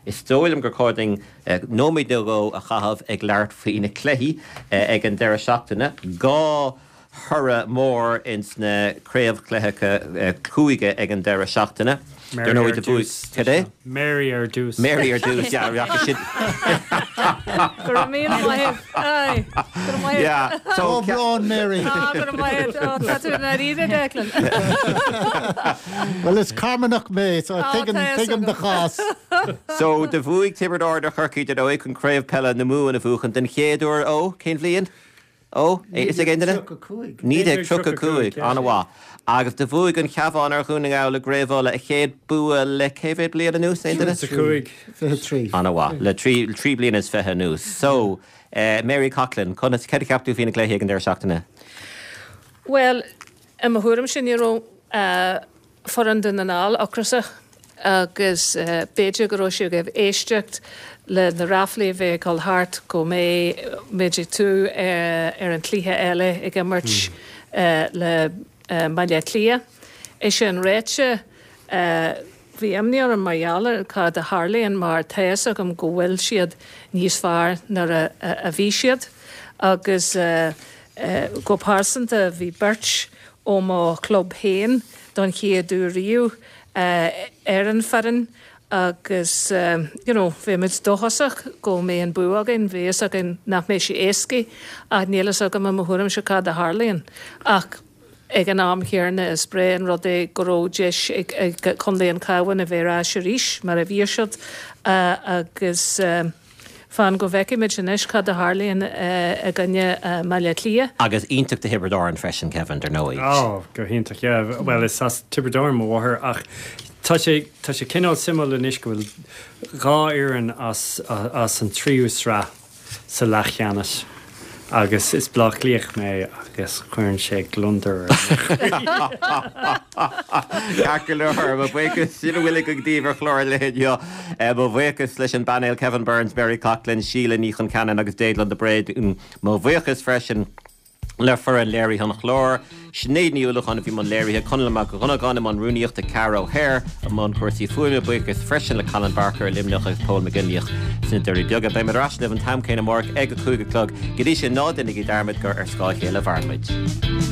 Is dóigh liom gur chóir dúinn nóiméad nó dhó a chaitheamh ag labhairt faoi na cluichí ag an deireadh seachtaine. 2 thoradh mór ins na craobhchluichí cúige ag an deireadh seachtaine. Dar ndóigh do bhuaigh, cad é? Mary ar dtús. Mary ar dtús, yeah, rachaidh sin. Go raibh míle maith agat. Aye, go raibh maith agat. Yeah, so. Comhbhrón, Mary. Ah, go raibh maith agat. Oh, tá tú i ndáiríre, Declan. Bhuel, is Carmanach mé, so tuigim, tuigim do chás. So, do bhuaigh Tiobraid Árann ar Chorcaigh, dar ndóigh, chun Craobh Peile na Mumhan a bhuachan den chéad uair ó, cén bhliain? Ó, is ag aon duine? 1935. 1935, an-mhaith. Agus do bhuaigh an Cabhán ar Dhún na nGall i gCraobh Uladh, a chéad bua le cé mhéad bliain anuas, aon duine? 25. 23. An-mhaith, le trí bliana is fiche anuas. So, Mary Coughlan, conas, céard a cheap tú faoi na cluichí ag an deireadh seachtaine? Bhuel, i mo thuairimse ní raibh foireann Dhún na nGall ocrasach agus b'fhéidir go raibh siad ag éisteacht le na ráflaí a bhí ag dul thart go mbeidh muid ag tú ar an chluiche eile ag imirt le Baile Átha Cliath. É sin ráite, bhí imní orm mar gheall ar cad a tharlaíonn mar tá fhios agam go bhfuil siad níos fearr nuair a bhí siad agus go pearsanta bhí beirt ó mo chlub féin don chéad uair riamh ar an foireann agus you know bhí muid dóchasach go mbeidh an bua againn, bhí fhios againn nach mbeidh sé éasca ach níl fhios agam i mo thuairimse cad a tharlaíonn ach ag an am chéanna is breá an rud é go raibh deis ag Contae an Chabháin a bheith ar ais arís mar a bhí siad agus Fan go bhfeicfimid anois cad a tharlaíonn i gcoinne Bhaile Átha Cliath. Agus iontach do Thiobraid Árann freisin, Kevin, dar ndóigh. Ó, go hiontach, yeah. Bhuel, is as Tiobraid Árann mo mháthair ach tá sé, tá sé cineál suimiúil anois go bhfuil dhá fhoireann as, as an tríú sraith sa leathcheannais agus is Bleá Cliathach mé agus cuireann sé gliondar ar mo chroí. Ceart go leor, mo bhuíochas, sin a bhfuil againn daoibh ar chlár an lae inniu. Mo bhuíochas leis an bpainéal Kevin Burns, Mary Coughlan, Síle Ní Chonceanainn agus Déaglán de Bréadún. Mo bhuíochas freisin le foireann léirithe an chláir, Sinéad Ní Uallacháin a bhí i mbun léirithe, Conall Mac Dhonnagáin i mbun rúnaíochta, Ceara O'Hare i mbun cúrsaí fuaime. Buíochas freisin le Colin Barker i Luimneach agus Pól McGinlíoch sna Doirí Beaga. Beidh muid ar ais libh an t-am céanna amárach ag a 5 a chlog. Go dtí sin, ná déanaigí dearmad gur ar scáth a chéile a mhaireann muid.